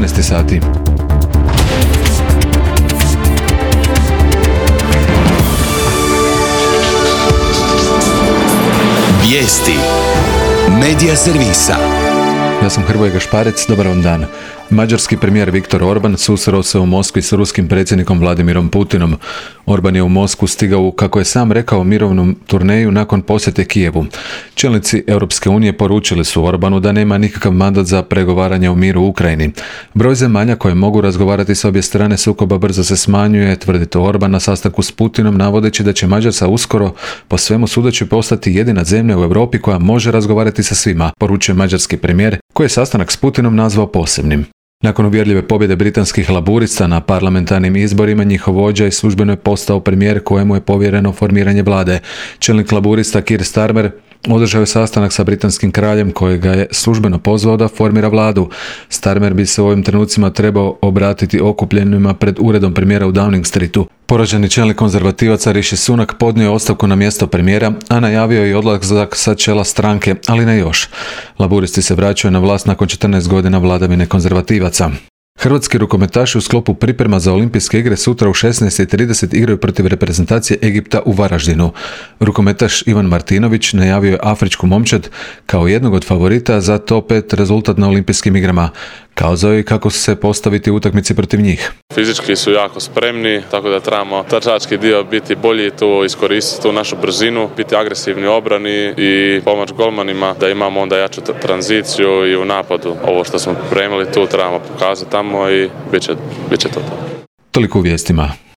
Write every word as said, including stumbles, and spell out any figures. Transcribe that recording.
jedanaest sati. Vijesti Medija servisa. Ja sam Hrvoje Gašparec, dobar vam dan. Mađarski premijer Viktor Orban susreo se u Moskvi s ruskim predsjednikom Vladimirom Putinom. Orban je u Moskvu stigao u, kako je sam rekao, mirovnom turneju nakon posjete Kijevu. Čelnici Europske unije poručili su Orbanu da nema nikakav mandat za pregovaranje o miru u Ukrajini. Broj zemalja koje mogu razgovarati s obje strane sukoba brzo se smanjuje, tvrdi to Orban na sastanku s Putinom, navodeći da će Mađarska uskoro, po svemu sudeći, postati jedina zemlja u Europi koja može razgovarati sa svima, poručuje mađarski premijer, koji je sastanak s Putinom nazvao posebnim. Nakon uvjerljive pobjede britanskih laburista na parlamentarnim izborima, njihov vođa i službeno je postao premijer kojemu je povjereno formiranje vlade. Čelnik laburista Keir Starmer održao je sastanak sa britanskim kraljem kojega je službeno pozvao da formira vladu. Starmer bi se u ovim trenucima trebao obratiti okupljenima pred uredom premijera u Downing Streetu. Poraženi čelnik konzervativaca Rishi Sunak podnio je ostavku na mjesto premijera, a najavio je i odlazak sa čela stranke, ali ne još. Laburisti se vraćaju na vlast nakon četrnaest godina vladavine konzervativaca. Hrvatski rukometaši u sklopu priprema za olimpijske igre sutra u šesnaest i trideset igraju protiv reprezentacije Egipta u Varaždinu. Rukometaš Ivan Martinović najavio je afričku momčad kao jednog od favorita za top pet rezultat na olimpijskim igrama. Kazao je kako se postaviti u utakmici protiv njih. Fizički su jako spremni, tako da trebamo trčački dio biti bolji, tu iskoristiti tu našu brzinu, biti agresivni u obrani i pomoć golmanima da imamo onda jaču tranziciju i u napadu. Ovo što smo pripremili tu trebamo pokazati tamo i bit će, bit će to. Toliko u vijestima.